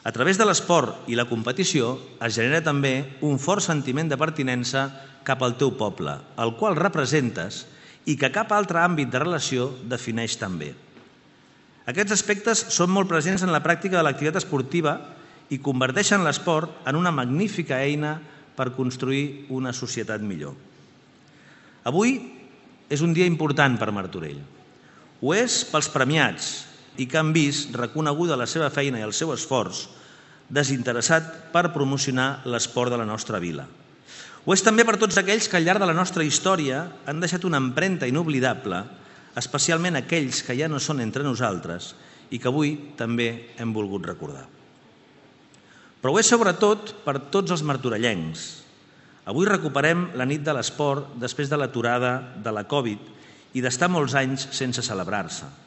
A través de l'esport i la competició es genera també un fort sentiment de pertinença cap al teu poble, el qual representes i que cap altre àmbit de relació defineix tan bé. Aquests aspectes són molt presents en la pràctica de l'activitat esportiva i converteixen l'esport en una magnífica eina per construir una societat millor. Avui és un dia important per Martorell. Ho és pels premiats i que han vist reconeguda la seva feina i el seu esforç desinteressat per promocionar l'esport de la nostra vila. Ho és també per tots aquells que al llarg de la nostra història han deixat una empremta inoblidable, especialment aquells que ja no són entre nosaltres i que avui també hem volgut recordar. Però ho és sobretot per tots els martorellencs. Avui recuperem la nit de l'esport després de l'aturada de la Covid i d'estar molts anys sense celebrar-se.